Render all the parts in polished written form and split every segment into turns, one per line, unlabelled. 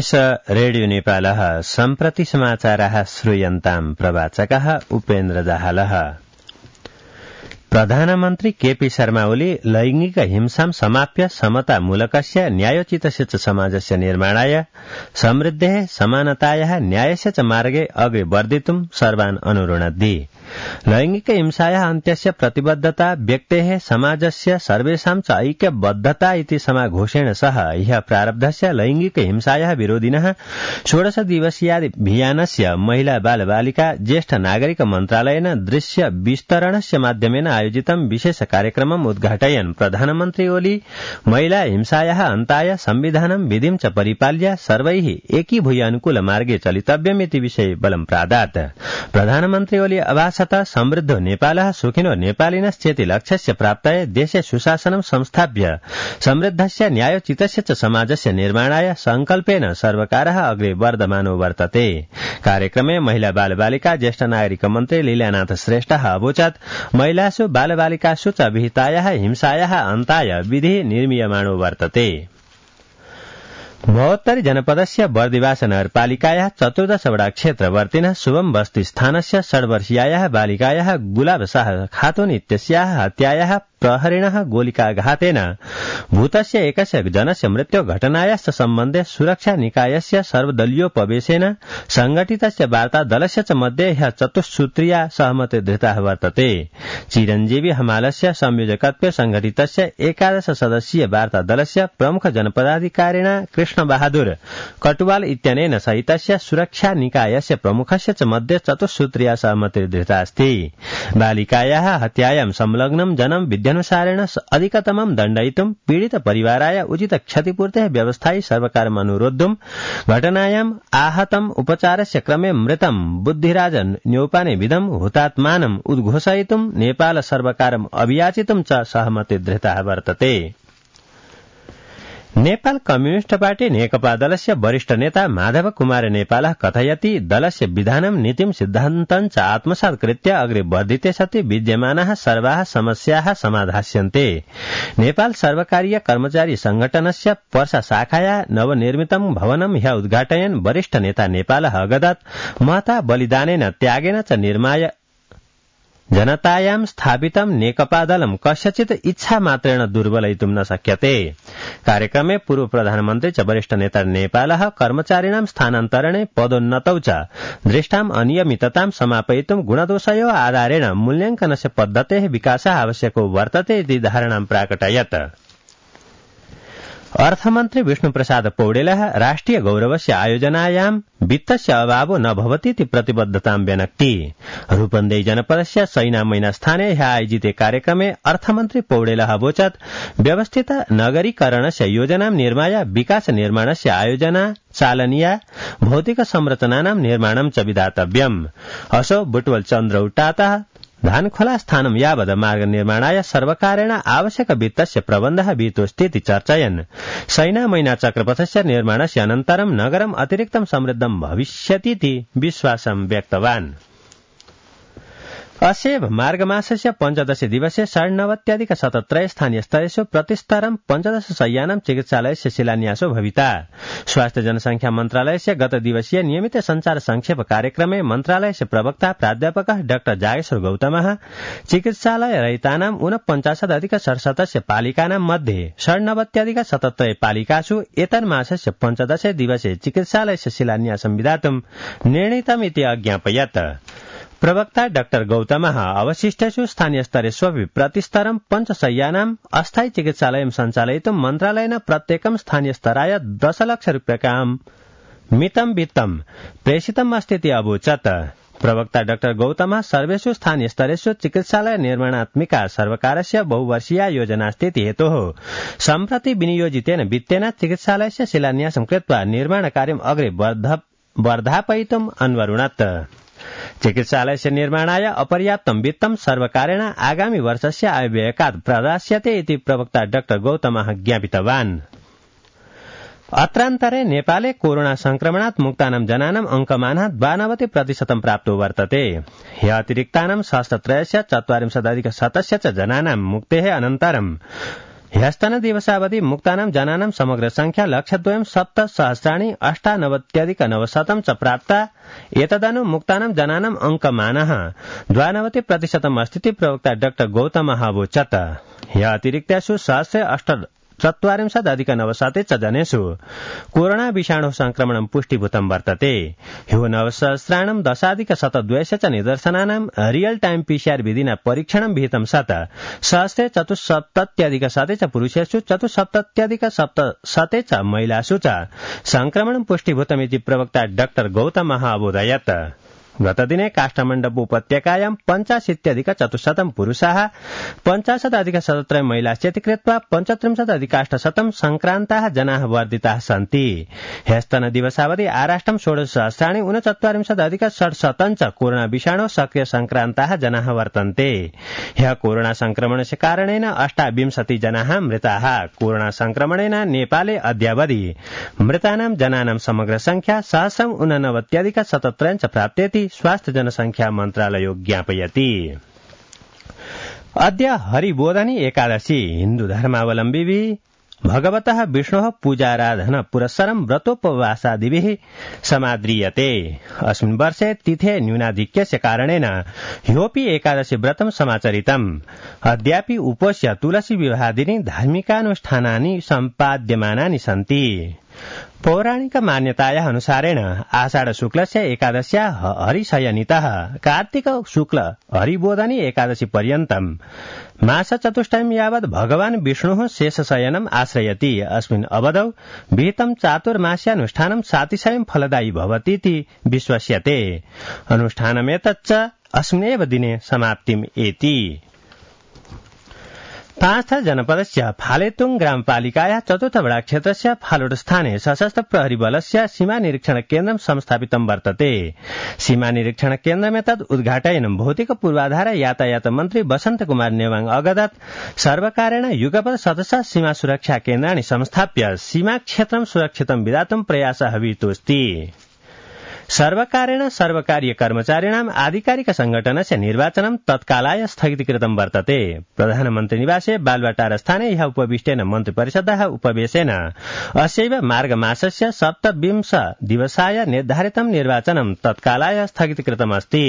एष रेडियो नेपालः सम्प्रति समाचाराः श्रूयन्ताम् प्रवाचकः उपेन्द्र दाहालः। प्रधानमन्त्री केपी शर्मा ओली लैंगिक हिंसां समाप्य समतामूलकस्य न्यायोचितस्य च समाजस्य निर्माणाय समृद्धेः समानतायाः न्यायस्य च मार्गे अग्रे वर्धितुं सर्वान् अनुरुणद्धि। लैंगिक हिंसायाः अन्त्यस्य प्रतिबद्धता व्यक्तेः समाजस्य सर्वेषां च ऐक्यबद्धता इति समाघोषेण सह ह्यः प्रारब्धस्य लैंगिक हिंसायाः विरोधिनः 16 दिवसीयाभियानस्य महिला बालबालिका ज्येष्ठ नागरिक मन्त्रालयेन दृश्य विस्तरणस्य माध्यमेन आयोजितं विशेष कार्यक्रमम् उद्घाटयन् प्रधानमन्त्री ओली महिला हिंसायाः अन्ताय संविधानं विधिं च परिपाल्य सर्वैः एकीभूय अनुकूलमार्गे चलितव्यमिति विषये बलं प्रादात्। प्रधानमन्त्री ओली अभाषत समृद्धो नेपालः सुखिनो नेपालिनश्चेति लक्ष्यस्य प्राप्तये देशे सुशासनं संस्थाप्य समृद्धस्य न्यायोचितस्य च समाजस्य निर्माणाय संकल्पेन सर्वकारः अग्रे वर्धमानो वर्तते। कार्यक्रमे महिला बालबालिका ज्येष्ठ नागरिक मन्त्री लीलानाथ श्रेष्ठः अवोचत् महिलासु बालबालिकासु च विहितायाः हिंसायाः अन्ताय विधिः निर्मीयमाणो वर्तते। महोत्तरी जनपदस्य बर्दिवास नगरपालिकायाः 14 वडा क्षेत्रवर्तिनः शुभम बस्ती स्थानस्य 6 वर्षीयायाः बालिकायाः गुलाब शाह खातून इत्यस्याः हत्यायाः प्रहरिणः गोलिकाघातेन भूतस्य एकस्य जनस्य मृत्यु घटनायाश्च सम्बन्धे सुरक्षा निकायस्य सर्वदलीयोपवेशेन संघटितस्य वार्ता दलस्य च मध्ये ह्यः चतुस्सूत्रीया सहमति धृता वर्तते। चिरञ्जीवी हमालस्य संयोजकत्वे संघटितस्य 11 सदस्यीय वार्ता दलस्य प्रमुख जनपदाधिकारिणा कृष्ण बहादुर कटुवाल इत्यनेन सहितस्य सुरक्षा निकायस्य प्रमुखस्य च मध्ये चतुस्सूत्रीया सहमति धृता अस्ति। बालिकायाः हत्यायां संलग्नं जनं विद्यानुसारेण अधिकतमं दण्डयितुं पीडित परिवाराय उचित क्षतिपूर्तेः व्यवस्थायै सर्वकारम् अनुरोद्धुं घटनायाम् आहतम् उपचारस्य क्रमे मृतं बुद्धिराज न्यौपाने विधं हुतात्मानम् उद्घोषयितुं नेपाल सर्वकारम् अभियाचितुं च सहमति धृता वर्तते। नेपाल कम्युनिस्ट पार्टी नेकपा दलस्य वरिष्ठ नेता माधव कुमार नेपालः कथयति दलस्य विधानं नीतिं सिद्धान्तं च आत्मसात् कृत्य अग्रे वर्धिते सति विद्यमानाः सर्वाः समस्याः समाधास्यन्ते। नेपाल सर्वकारीय कर्मचारी संगठनस्य पर्सा शाखाया नवनिर्मितं भवनं ह्यः उद्घाटयन् वरिष्ठ नेता नेपालः अगदत् महता बलिदानेन त्यागेन च निर्माय जनतायां स्थापितं नेकपा दलं कस्यचित् इच्छा मात्रेण दुर्बलयितुं न शक्यते। कार्यक्रमे पूर्व प्रधानमन्त्री च वरिष्ठ नेता नेपालः कर्मचारिणां स्थानान्तरणे पदोन्नतौ च दृष्टाम् अनियमिततां समापयितुं गुणदोषयोः आधारेण मूल्याङ्कनस्य पद्धतेः विकासः आवश्यको वर्तते इति धारणां प्राकटयत्। अर्थमन्त्री विष्णुप्रसाद पौडेलः राष्ट्रिय गौरवस्य आयोजनायां वित्तस्य अभावो न भवतीति प्रतिबद्धतां व्यनक्ति। रूपन्देही जनपदस्य सैनामैना स्थाने ह्यः आयोजिते कार्यक्रमे अर्थमन्त्री पौडेलः अवोचत् व्यवस्थित नगरीकरणस्य योजनां निर्माय विकास निर्माणस्य आयोजना चालनीया भौतिक संरचनानां निर्माणं च विधातव्यम्। असौ बुटवल चन्द्रौट्टातः धानखोला स्थानं यावद् मार्ग निर्माणाय सर्वकारेण आवश्यक वित्तस्य प्रबन्धः विहितोऽस्तीति चर्चयन् सैनामैना चक्रपथस्य निर्माणस्य अनन्तरं नगरम् अतिरिक्तं समृद्धं भविष्यतीति विश्वासं व्यक्तवान्। असेव मार्गमासस्य 15 दिवसे 97 स्थानीयस्तरेषु प्रतिस्तरं 15 शय्यानां चिकित्सालयस्य शिलान्यासो भविता। स्वास्थ्य जनसंख्या मन्त्रालयस्य गत दिवसीय नियमित संचार संक्षेप कार्यक्रमे मन्त्रालयस्य प्रवक्ता प्राध्यापकः डाक्टर जागेश्वर गौतमः चिकित्सालय रहितानां 49,67 पालिकानां मध्ये 97,77 पालिकासु एतन्मासस्य 15 दिवसे चिकित्सालयस्य शिलान्यासं विधातुं निर्णीतमिति अज्ञापयत्। प्रवक्ता डाक्टर गौतमः अवशिष्टेषु स्थानीयस्तरेष्वपि प्रतिस्तरं 5 शय्यानाम् अस्थायी चिकित्सालयं सञ्चालयितुं मन्त्रालयेन प्रत्येकं स्थानीयस्तराय 10 लाख रूप्यकाणि मितं वित्तं प्रेषितम् अस्तीति अवोचत्। प्रवक्ता डाक्टर गौतमः सर्वेषु स्थानीयस्तरेषु चिकित्सालय निर्माणात्मिका सर्वकारस्य बहुवर्षीया योजनास्तीति हेतोः सम्प्रति विनियोजितेन वित्तेन चिकित्सालयस्य शिलान्यासं कृत्वा निर्माणकार्यम् अग्रे वर्धापयितुम् अन्वरुणत्। चिकित्सालयस्य निर्माणाय अपर्याप्तं वित्तं सर्वकारेण आगामी वर्षस्य आयव्ययकात् प्रदास्यते इति प्रवक्ता डाक्टर गौतमः ज्ञापितवान्। अत्रान्तरे नेपाले कोरोना संक्रमणात् मुक्तानां जनानां अंकमानः 92% प्राप्तो वर्तते। ह्यः अतिरिक्तानां 63,000 च जनानां मुक्तेः अनन्तरं ह्यस्तन दिवसावधि मुक्तानां जनानां समग्र संख्या 1,07,सहस्राणि 98,900 च प्राप्ता एतदनु मुक्तानां जनानां अङ्कमानः 92% अस्तीति प्रवक्ता डाक्टर गौतम अवोचत् ह्य अतिरिक्तेषु 148,900 च जनेषु कोरोना विषाणु संक्रमणं पुष्टिभूतं वर्तते ह्यो 9,10,200 च निदर्शनानां रियल टाइम पीसीआर विधिना परीक्षणं विहितं सत् 174,100 च पुरुषेषु 74,700 च महिलासु च संक्रमणं पुष्टिभूतमिति प्रवक्ता डाक्टर गौतम अवोदयत् गतदिने काष्ठमण्डप उपत्यकायां 85,400 पुरुषाः 50,17 महिलाश्चेति कृत्वा 35,800 संक्रान्ताः जनाः वर्धिताः सन्ति ह्यस्तन दिवसावधि आराष्ट्रं 16,49,600 च कोरोना विषाणु सक्रिय संक्रान्ताः जनाः वर्तन्ते ह्य कोरोना संक्रमणस्य कारणेन 28 जनाः मृताः कोरोना संक्रमणेन नेपाले अद्यावधि मृतानां जनानां समग्र संख्या 1,89,077 च प्राप्तेति स्वास्थ्य जनसंख्या मन्त्रालयो ज्ञापयति अद्य हरिबोधनी एकादशी हिन्दू धर्मावलम्बिभिः भगवतः विष्णोः पूजाराधन पुरस्सरं व्रतोपवासादिभिः समाद्रियते अस्मिन् वर्षे तिथे न्यूनाधिक्यस्य कारणेन ह्योऽपि एकादशी व्रतं समाचरितम् अद्यापि उपोष्य तुलसी विवाहादीनि धार्मिकानुष्ठानानि सम्पाद्यमानानि सन्ति पौराणिक मान्यतायाः अनुसारेण आषाढ शुक्लस्य एकादश्या हरिशयनितः कार्तिक शुक्ल हरिबोधनी एकादशी पर्यन्तं मासचतुष्टयं यावत् भगवान् विष्णुः शेषशयनम् आश्रयति अस्मिन् अवधौ विहितं चातुर्मास्यानुष्ठानं सातिशयं फलदायी भवतीति विश्वस्यते अनुष्ठानमेतच्च अस्मिन्नेव दिने समाप्तिम् एति 5 जनपदस्य फालेतुङ ग्रामपालिकायाः चतुर्थवडा क्षेत्रस्य फालोट स्थाने सशस्त्र प्रहरी बलस्य सीमा निरीक्षण केन्द्रं संस्थापितं वर्तते सीमा निरीक्षण केन्द्रमेतत् उद्घाटयनं भौतिक पूर्वाधार यातायात मन्त्री वसन्त कुमार नेवाङ अगदत् सर्वकारेण युगपत् सदस्य सीमा सुरक्षा केन्द्राणि संस्थाप्य सीमा क्षेत्रं सुरक्षितं विधातुं प्रयासः विहितोऽस्ति सर्वकारेण सर्वकारीय कर्मचारिणाम् आधिकारिक संघटनस्य निर्वाचनं तत्कालाय स्थगितीकृतं वर्तते प्रधानमन्त्री निवासे बालवाटार स्थाने ह्यः उपविष्टेन मन्त्रिपरिषदः उपवेशेन अस्यैव मार्गमासस्य 27 दिवसाय निर्धारितं निर्वाचनं तत्कालाय स्थगितीकृतमस्ति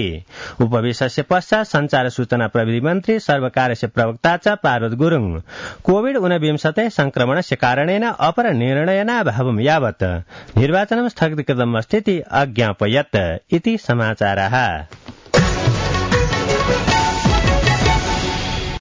उपवेशस्य पश्चात् संचार सूचना प्रविधि मन्त्री सर्वकारस्य प्रवक्ता च पार्वत गुरुङ कोविड-19 संक्रमणस्य कारणेन अपर निर्णयनाभावं यावत् निर्वाचनं स्थगितीकृतमस्तीति अज्ञापयत् इति समाचारः।